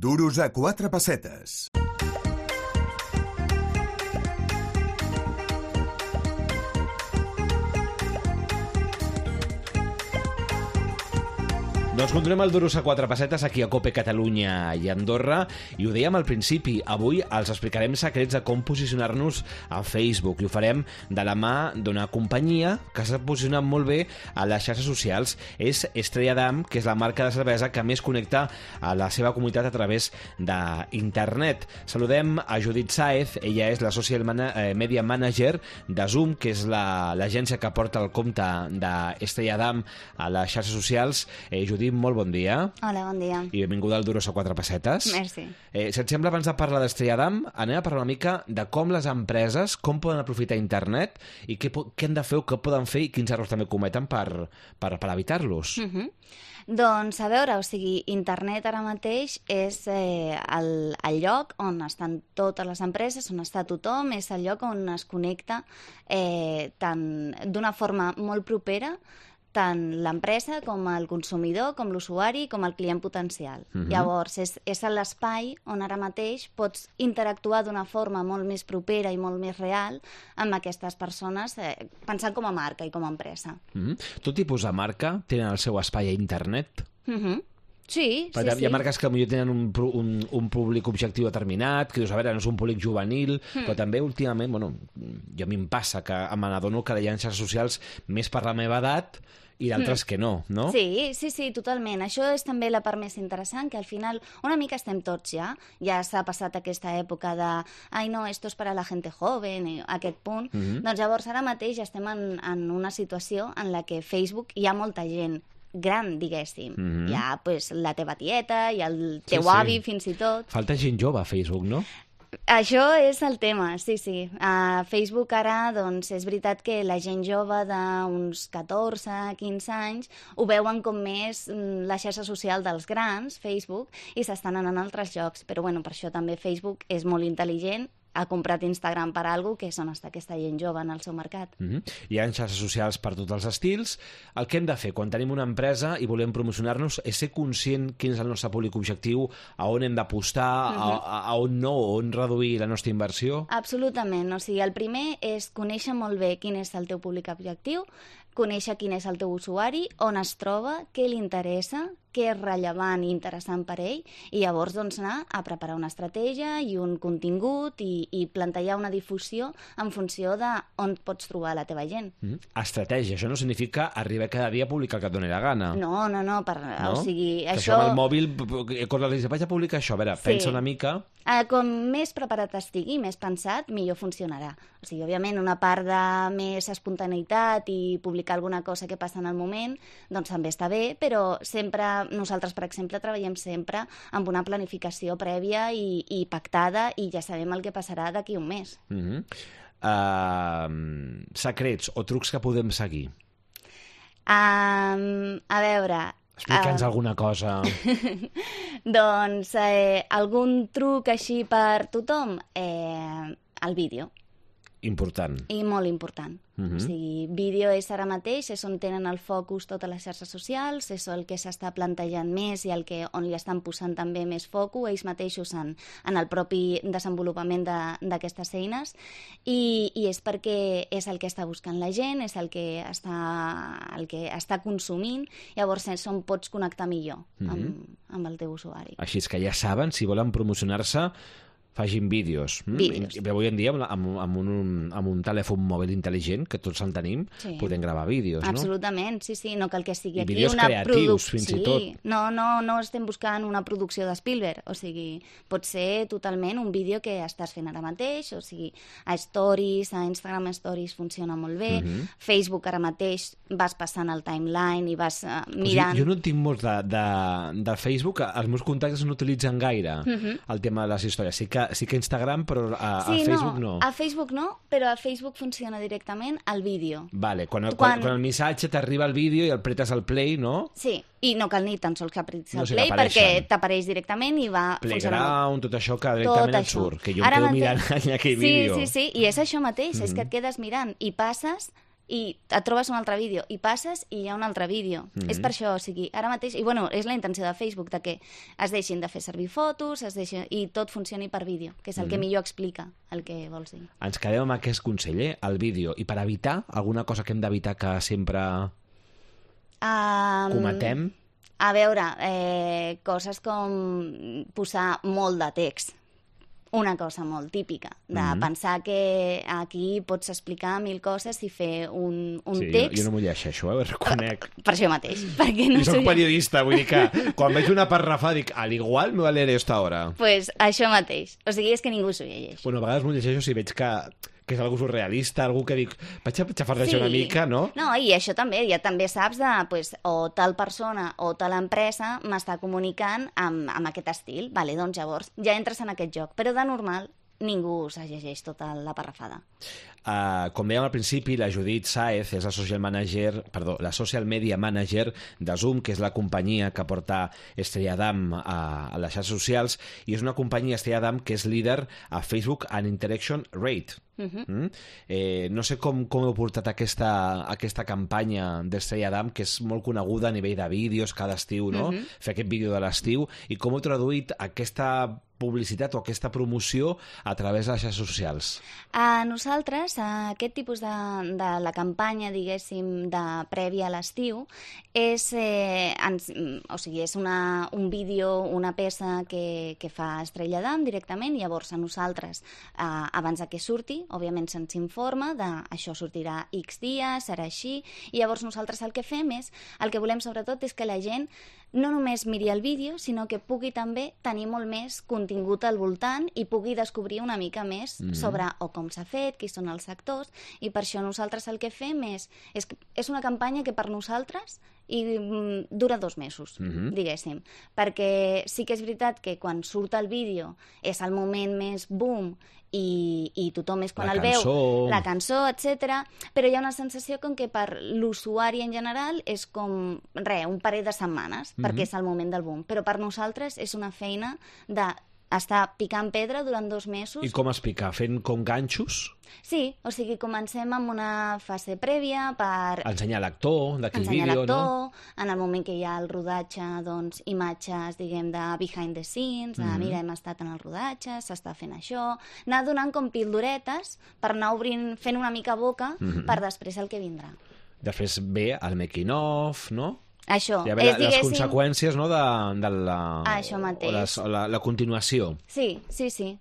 Duros a 4 pessetes. Doncs continuem el Duros a 4 pessetes aquí a COPE Catalunya i Andorra, i ho dèiem al principi, avui els explicarem secrets de com posicionar-nos a Facebook, i ho farem de la mà d'una companyia que s'ha posicionat molt bé a les xarxes socials. És Estrella Damm, que és la marca de cervesa que més connecta a la seva comunitat a través d'internet. Saludem a Judit Sáez, ella és la Social Media Manager de Zoom, que és l'agència que porta el compte d'Estrella Damm a les xarxes socials. Judit, molt bon dia. Hola, bon dia. I benvinguda al Duros a 4 pessetes. Merci. Si et sembla, abans de parlar d'Estrella Damm, anem a parlar una mica de com les empreses, com poden aprofitar internet i què han de fer o què poden fer i quins errors també cometen per evitar-los. Doncs, a veure, internet ara mateix és el lloc on estan totes les empreses, on està tothom, és el lloc on es connecta d'una forma molt propera tant l'empresa com el consumidor, com l'usuari, com el client potencial. Llavors, és l'espai on ara mateix pots interactuar d'una forma molt més propera i molt més real amb aquestes persones, pensant com a marca i com a empresa. Tot tipus de marca tenen el seu espai a internet? Sí, sí. Hi ha marques que potser tenen un públic objectiu determinat, que dius, a veure, no és un públic juvenil, però també últimament, jo a mi em passa que me n'adono que hi ha xarxes socials més per la meva edat i d'altres que no, no? Sí, totalment. Això és també la part més interessant, que al final una mica estem tots ja s'ha passat aquesta època de ai no, esto es para la gente joven, aquest punt. Doncs llavors ara mateix estem en una situació en la que Facebook hi ha molta gent gran, diguéssim. Hi ha la teva tieta, hi ha el teu avi, fins i tot. Falta gent jove a Facebook, no? Això és el tema, sí. A Facebook ara, doncs, és veritat que la gent jove d'uns 14, 15 anys ho veuen com més la xarxa social dels grans, Facebook, i s'estan anant a altres llocs. Però, per això també Facebook és molt intel·ligent, ha comprat Instagram per alguna cosa, que és on està aquesta gent jove en el seu mercat. Hi ha xarxes socials per tots els estils. El que hem de fer quan tenim una empresa i volem promocionar-nos és ser conscient quin és el nostre públic objectiu, a on hem d'apostar, a on no, on reduir la nostra inversió. Absolutament. El primer és conèixer molt bé quin és el teu públic objectiu, conèixer quin és el teu usuari, on es troba, què li interessa, què és rellevant i interessant per ell, i llavors anar a preparar una estratègia i un contingut i plantejar una difusió en funció d'on pots trobar la teva gent. Estratègia, això no significa arribar cada dia a publicar el que et doni la gana. No. O sigui, això amb el mòbil, quan li vaig a publicar això, a veure, pensa una mica. Com més preparat estigui, més pensat, millor funcionarà. Òbviament, una part de més espontaneïtat i publicar alguna cosa que passa en el moment, doncs també està bé, però sempre nosaltres, per exemple, treballem sempre amb una planificació prèvia i pactada, i ja sabem el que passarà d'aquí un mes. Secrets o trucs que podem seguir? A veure... Explica'ns alguna cosa. Doncs algun truc així per tothom? El vídeo. Important. I molt important. Vídeo és ara mateix, és on tenen el focus totes les xarxes socials, és el que s'està plantejant més i on li estan posant també més focus ells mateixos en el propi desenvolupament d'aquestes eines, i és perquè és el que està buscant la gent, és el que està consumint, llavors és on pots connectar millor amb el teu usuari. Així és que ja saben, si volen promocionar-se, facin vídeos. Avui en dia, amb un telèfon mòbil intel·ligent, que tots en tenim, podem gravar vídeos, no? Absolutament, sí. No cal que sigui aquí vídeos creatius, fins i tot. No estem buscant una producció de Spielberg. Pot ser totalment un vídeo que estàs fent ara mateix, a Stories, a Instagram Stories funciona molt bé. Facebook ara mateix vas passant el timeline i vas mirant... Jo no en tinc molts de Facebook, els meus contactes no utilitzen gaire el tema de les històries. Sí que Instagram, però a Facebook no. A Facebook no, però a Facebook funciona directament el vídeo. Vale, quan el missatge t'arriba al vídeo i el pretes al play, no? Sí, i no cal ni tan sols que apretis el play, perquè t'apareix directament i va funcionar. Playground, tot això que directament et surt, que jo em quedo mirant en aquell vídeo. Sí, i és això mateix, és que et quedes mirant i passes i et trobes un altre vídeo, i passes i hi ha un altre vídeo. És per això, o sigui, ara mateix... I bueno, és la intenció de Facebook, de que es deixin de fer servir fotos, i tot funcioni per vídeo, que és el que millor explica el que vols dir. Ens quedem amb aquest consell, el vídeo. I per evitar, alguna cosa que hem d'evitar que sempre cometem? A veure, coses com posar molt de text. Una cosa molt típica, de pensar que aquí pots explicar 1000 coses i fer un text... Jo no m'ho llegeixo, ho reconec. Per això mateix, perquè no I soc periodista, vull dir que quan veig una parrafada dic, al igual me va leer esto ahora. Pues això mateix, o sigui, és que ningú s'ho llegeix. Bueno, a vegades m'ho llegeixo si veig que és algú surrealista, algú que dic, vaig a xafardejar una mica, no? No, i això també, ja també saps de, pues, o tal persona o tal empresa m'està comunicant amb aquest estil, vale, doncs llavors ja entres en aquest joc, però de normal ningú se llegeix tota la parrafada. Com dèiem al principi, la Judit Sáez és la social media manager de Zoom, que és la companyia que porta Estrella Damm a les xarxes socials, i és una companyia, Estrella Damm, que és líder a Facebook and Interaction Rate. No sé com heu portat aquesta campanya d'Estrella Damm, que és molt coneguda a nivell de vídeos cada estiu, no? Fer aquest vídeo de l'estiu, i com heu traduït aquesta publicitat o aquesta promoció a través de les xarxes socials? A nosaltres, aquest tipus de la campanya, diguéssim, de prèvia a l'estiu, és un vídeo, una peça que fa Estrella Damm directament, i llavors a nosaltres, abans que surti, òbviament se'ns informa de això sortirà X dies, serà així, i llavors nosaltres el que fem és, el que volem sobretot és que la gent no només miri el vídeo, sinó que pugui també tenir molt més contingut al voltant i pugui descobrir una mica més sobre o com s'ha fet, qui són els actors, i per això nosaltres el que fem és una campanya que per nosaltres dura 2 mesos, diguéssim, perquè sí que és veritat que quan surt el vídeo és el moment més boom i tothom és quan el veu, la cançó, etc. Però hi ha una sensació com que per l'usuari en general és com, un parell de setmanes, perquè és el moment del boom. Però per nosaltres és una feina d'estar picant pedra durant 2 mesos. I com es pica? Fent com ganxos? Sí, o sigui, comencem amb una fase prèvia per... Ensenyar l'actor d'aquell vídeo, no? En el moment que hi ha el rodatge, doncs, imatges, diguem, de behind the scenes, mira, hem estat en el rodatge, s'està fent això... Anar donant com pildoretes per anar fent una mica boca per després el que vindrà. Després ve el making of, no? Això, ja ve les conseqüències, no, de això mateix. O la continuació. Sí.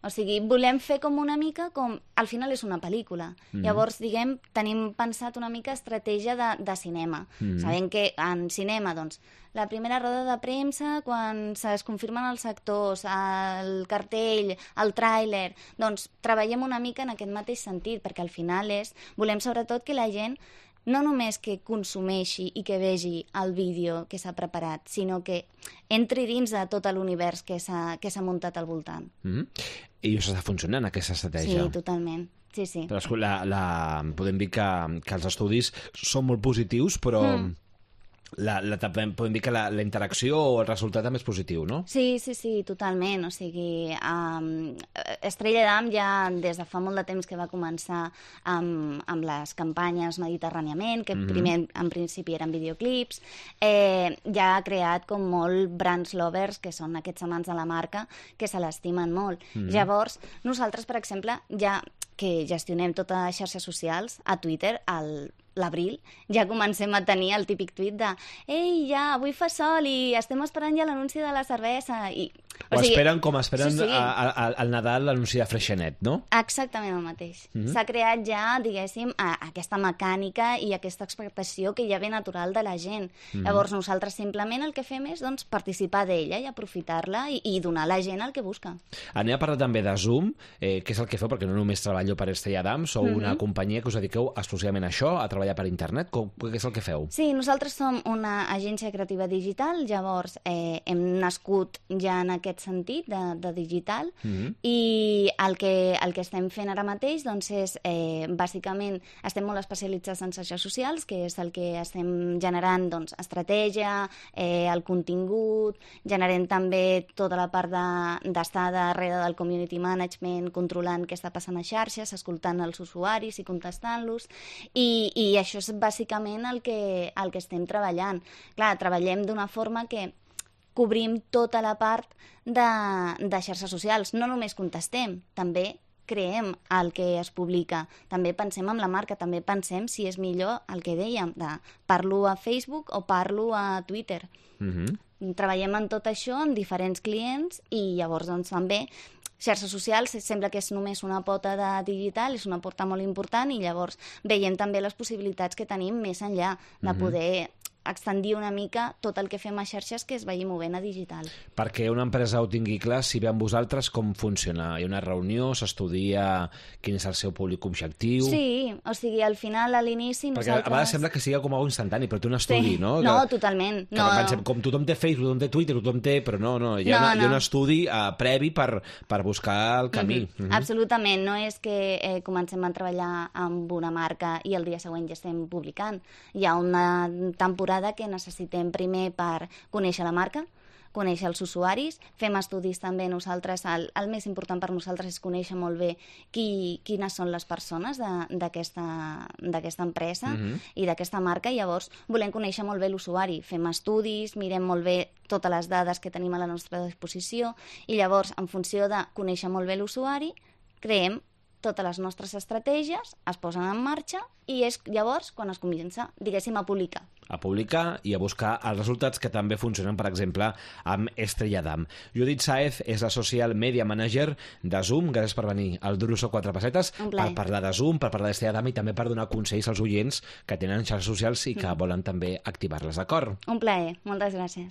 O sigui, volem fer com una mica com... Al final és una pel·lícula. Llavors, diguem, tenim pensat una mica estratègia de cinema. Sabem que en cinema, doncs, la primera roda de premsa, quan es confirmen els actors, el cartell, el tràiler, doncs treballem una mica en aquest mateix sentit, perquè al final volem sobretot que la gent no només que consumeixi i que vegi el vídeo que s'ha preparat, sinó que entri dins de tot l'univers que s'ha muntat al voltant. I això està funcionant, aquesta estratègia? Sí, totalment. Sí. Però podem dir que els estudis són molt positius, però... podem dir que la interacció o el resultat també és positiu, no? Sí, totalment. O sigui, Estrella Damm ja des de fa molt de temps que va començar amb les campanyes mediterràniament, que primer en principi eren videoclips, ja ha creat com molt brands lovers, que són aquests amants de la marca, que se l'estimen molt. Llavors, nosaltres, per exemple, ja que gestionem totes les xarxes socials, a Twitter, l'abril, ja comencem a tenir el típic tuit de «Ei, ja, avui fa sol i estem esperant ja l'anunci de la cervesa». O sigui, esperen al Nadal l'anunci de Freixenet, no? Exactament el mateix. S'ha creat ja, diguéssim, aquesta mecànica i aquesta expectació que ja ve natural de la gent. Llavors nosaltres simplement el que fem és participar d'ella i aprofitar-la i donar a la gent el que busca. Anem a parlar també de Zoom, que és el que feu, perquè no només treballo per Estrella Damm, sou una companyia que us dediqueu exclusivament a això, a treballar per internet. Què és el que feu? Sí, nosaltres som una agència creativa digital, llavors hem nascut ja en aquest sentit de digital, i el que estem fent ara mateix doncs és, bàsicament, estem molt especialitzats en xarxes socials, que és el que estem generant, doncs, estratègia, el contingut, generem també tota la part d'estar darrere del community management, controlant què està passant a xarxes, xarxes, escoltant els usuaris i contestant-los, i això és bàsicament el que estem treballant. Clar, treballem d'una forma que cobrim tota la part de xarxes socials. No només contestem, també creem el que es publica. També pensem en la marca, també pensem si és millor el que dèiem, de parlo a Facebook o parlo a Twitter. Treballem en tot això amb diferents clients i llavors doncs també xarxes socials sembla que és només una pota de digital, és una porta molt important i llavors veiem també les possibilitats que tenim més enllà de poder extendir una mica tot el que fem a xarxes que es vagi movent a digital. Perquè una empresa ho tingui clar, si ve amb vosaltres, com funciona? Hi ha una reunió, s'estudia quin és el seu públic objectiu? Sí, o sigui, al final, a l'inici, perquè nosaltres... a vegades sembla que sigui com algo instantani, però té un estudi, no? No, totalment. Que pensem, com tothom té Facebook, tothom té Twitter, tothom té... Però no, hi ha un estudi previ per buscar el camí. Absolutament, no és que comencem a treballar amb una marca i el dia següent ja estem publicant. Hi ha una temporada que necessitem primer per conèixer la marca, conèixer els usuaris, fem estudis també nosaltres, el més important per nosaltres és conèixer molt bé quines són les persones d'aquesta empresa i d'aquesta marca, i llavors volem conèixer molt bé l'usuari, fem estudis, mirem molt bé totes les dades que tenim a la nostra disposició i llavors, en funció de conèixer molt bé l'usuari, creem totes les nostres estratègies, es posen en marxa i és llavors quan es comença, diguéssim, a publicar. A publicar i a buscar els resultats que també funcionen, per exemple, amb Estrella Damm. Judit Sáez és la Social Media Manager de Zoom. Gràcies per venir al Duruso Quatre Pessetes per parlar de Zoom, per parlar d'Estrella Damm i també per donar consells als oients que tenen xarxes socials i que volen també activar-les, d'acord? Un plaer, moltes gràcies.